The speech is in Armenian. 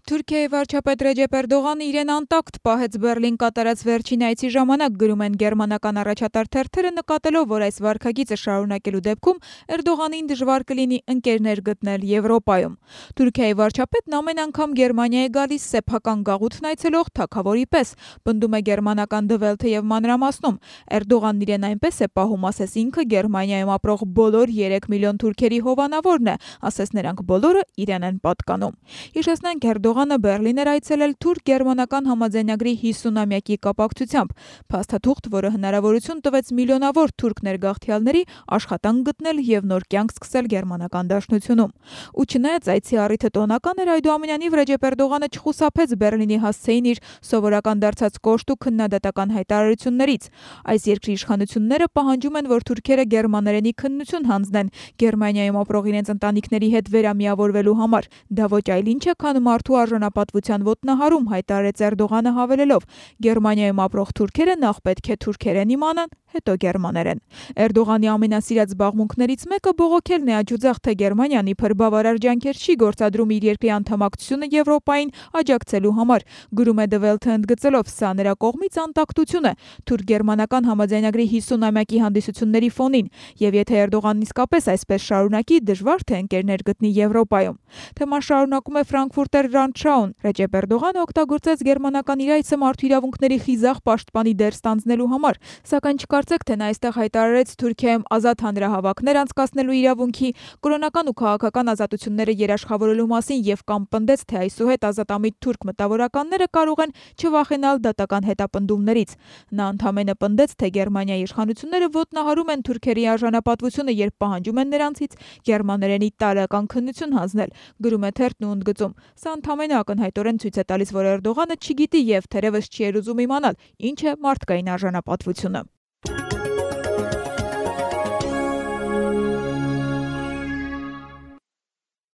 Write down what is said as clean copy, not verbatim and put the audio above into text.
Թուրքիայի վարչապետ Ռեջեփ Էրդողանը իրեն անտակտ պահեց Բեռլին կատարած վերջին այցի ժամանակ, գրում են գերմանական առաջատար թերթերը, նկատելով, որ այս վարքագիծը շարունակելու դեպքում Էրդողանին դժվար կլինի ընկերներ գտնել Եվրոպայում։ Թուրքիայի վարչապետն ամեն անգամ Գերմանիա է գալիս սեփական գաղութն այցելող թագավորի պես, պնդում է գերմանական Die Welt-ը եւ մանրամասնում։ Էրդողանն իրեն այնպես է պահում, ասես ինքը Գերմանիայում ապրող բոլոր 3 միլիոն թուրքերի հովանավորն է, ասես նրանք բոլորը իրեն են պատկանում։ Հիշեցնենք, Էրդողանը Բեռլին էր այցելել թուրք-գերմանական համաձայնագրի 50-ամյակի կապակցությամբ, փաստաթուղթ, որը հնարավորություն տվեց միլիոնավոր թուրք ներգաղթյալների աշխատանք գտնել եւ նոր կյանք սկսել գերմանական դաշնությունում։ Ու չնայած այցի առիթը տոնական էր, այդուամենայնիվ Ռեջեփ Էրդողանը չխուսափեց Բեռլինի հասցեին իր սովորական դարձած կոշտ ու քննադատական հայտարարություններից։ Այս երկրի իշխանությունները պահանջում են, որ թուրքերը գերմաներենի քննություն հանձնեն Գերմանիայում ապրող իրենց ընտանիքների հետ վերամիավորվելու համար։ Դա ոչ այլ ինչ է, քան մարդու արժանապատվության ոտնահարում, հայտարարեց Էրդողանը, հավելելով. Գերմանիայում ապրող թուրքերը նախ պետք է թուրքերեն իմանան, հետո գերմաներեն։ Էրդողանի ամենասիրած զբաղմունքներից մեկը բողոքելն է աջուձախ, թե Գերմանիան իբր բավարար ջանքեր չի գործադրում իր երկրի անդամակցությունը Եվրոպային աջակցելու համար, գրում է Die Welt-ը ընդգծելով, սա նրա կողմից անտակտություն է թուրք-գերմանական համաձայնագրի 50-ամյակի հանդիսությունների ֆոնին, եւ եթե Էրդողանն իսկապես այսպես շարունակի, դժվար թե ընկերներ գտնի Եվրոպայում։ Թեման շարունակում է Frankfurter Rundschau-ն։ Ռեջեփ Էրդողանը օգտագործեց գերմանական իր այցը մարդու իրավունքների խիզախ պաշտպանի դեր ստանձնելու համար, սակայն չկարծեք, թե նա այստեղ հայտարարեց Թուրքիայում ազատ հանրահավաքներ անցկացնելու իրավունքի, կրոնական ու քաղաքական ազատությունները երաշխավորելու մասին եւ կամ պնդեց, թե այսուհետ ազատամիտ թուրք մտավորականները կարող են չվախենալ դատական հետապնդումներից։ Նա ընդամենը պնդեց, թե Գերմանիայի իշխանությունները ոտնահարում են թուրքերի արժանապատվությունը, երբ պահանջում են նրանցից գերմաներենի տարրական քննություն հանձնել, գրում է թերթն ու ընդգծում. Սա ընդամենը ակնհայտորեն ցույց է տալիս, որ Էրդողանը չգիտի եւ թերևս չի էլ ուզում իմանալ, ինչ է մարդկային արժանապատվությունը։